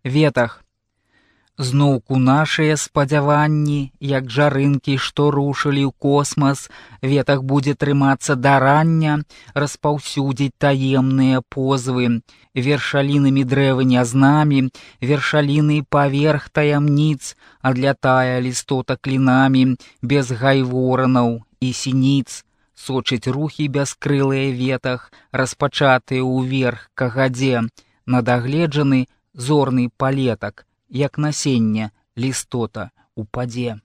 ветах. Зноўку нашыя спадзяванні, як жарынкі, што рушылі ў космас, ветах будзе трымацца да рання, распаўсюдзіць таемныя позвы, вершалінамі дрэвы нязнамі, вершаліны паверх таямніц, адлятая лістота клінамі, без гайворанаў і сініц, сочыць рухі бяскрылыя ветах, распачатыя ўверх кагадзе, надагледжаны зорны палетак, як насенне лістота упадзе.